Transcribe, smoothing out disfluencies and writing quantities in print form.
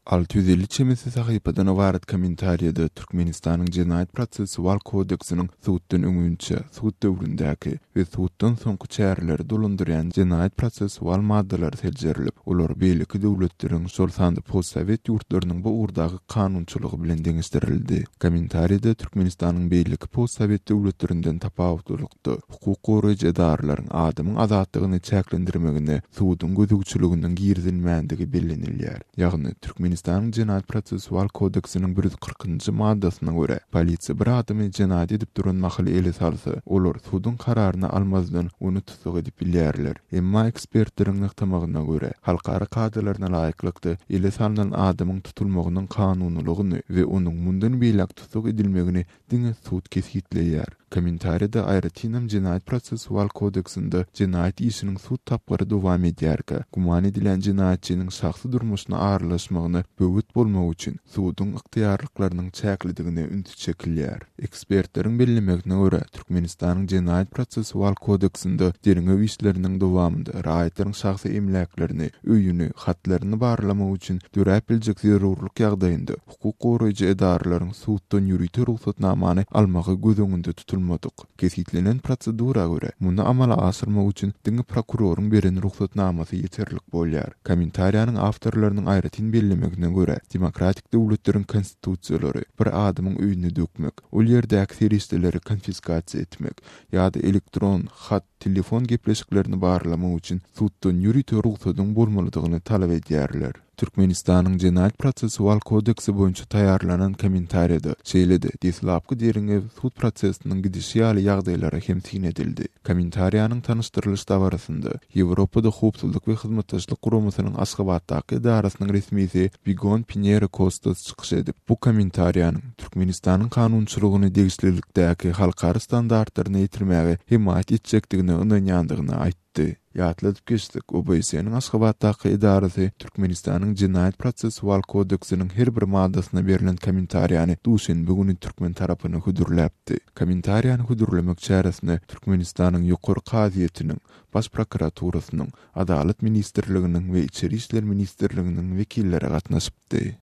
650 çemesi sahypadan ybarat kommentariýada Türkmenistanyň Jenaýat-prosessual kodeksiniň suddan öňünçä, sud döwründäki we suddan soňky çäreleri dolandyrýan jenaýat-prosessual maddalary seljerilip, olar beýleki döwletleriň, şol sanda postsowet ýurtlarynyň bu ugurdaky kanunçylygy bilen deňeşdirildi. Kommentariýada Türkmenistanyň beýleki postsowet döwletlerinden tapawutlylykda, hukuk goraýjy edaralaryň adamyň azatlygyny çäklendirmegine suduň gözegçiliginiň girizilmändigi bellenilýär. Ýagny, Türkmenistanyň Jenaýat-prosessual kodeksiniň 140-njy maddasyna görä, polisiýa bir adamy jenaýat edip duran mahaly ele salsa, olar suduň kararyny almazdan ony tussag edip bilýärler. Emma ekspertleriň nygtamagyna görä, halkara kadalaryna laýyklykda ele salnan adamyň tutulmagynyň kanunylygyny we onuň mundan beýläk tussag edilmegini diňe sud kesgitleýär. Kommentariýada aýratynam Jenaýat-prosessual kodeksinde jenaýat işiniň sud tapgyry dowam edýärkä, güman edilýän jenaýatçynyň şahsy durmuşyna aralaşmagyna böwet bolmak üçin suduň ygtyýarlyklarynyň çäklidigine üns çekilýär. Ekspertleriň bellemegine görä, Türkmenistanyň Jenaýat-prosessual kodeksinde derňew işleriniň dowamynda raýatlaryň şahsy emläklerini, öýüni, hatlaryny barlamak üçin döräp biljek zerurlyk ýagdaýynda hukuk goraýjy edaralaryň suddan ýörite rugsatnamany almagy göz öňünde tutulmadyk. Kesgitlenen prosedura görä, muny amala aşyrmak üçin diňe prokuroryň beren rugsatnamasy ýeterlik bolýar. Kommentariýanyň awtorlarynyň aýratyn bellemegine görä, demokratik döwletleriň konstitusiýalary bir adamyň öýüni dökmek, ol ýerdäki serişdeleri konfiskasiýa etmek ýa-da elektron hat, telefon gepleşiklerini barlamak üçin suddan ýörite rugsadyň bolmalydygyny talap edýärler. Türkmenistanyň Jenaýat-prosessual kodeksi boýunça taýýarlanan kommentariýada, şeýle-de, deslapky derňew sud prosesiniň gidişi ýaly ýagdaýlara hem syn edildi. Kommentariýanyň tanyşdyrylyş dabarasynda Ýewropada Howpsuzlyk we Hyzmatdaşlyk Guramasynyň Aşgabatdaky edarasynyň resmisi Bigon Pinero Kostas çykyş edip, bu kommentariýanyň Türkmenistanyň kanunçylygyny degişlilikdäki halkara standartlaryna ýetirmäge hemaýat etjekdigine ynanýandygyny aýtdy. aýtdy. Ýatladyp geçsek, OBSE-niň Aşgabatdaky edarasy Türkmenistanyň Jenaýat-prosessual kodeksiniň her bir maddasyna berlen kommentariýany duşenbe güni türkmen tarapyna hödürläpdi. Kommentariýany hödürlemek çäresine Türkmenistanyň Ýokary kazyýetiniň, Baş prokuraturasynyň, Adalat ministrliginiň we Içeri işler ministrliginiň wekilleri gatnaşypdy.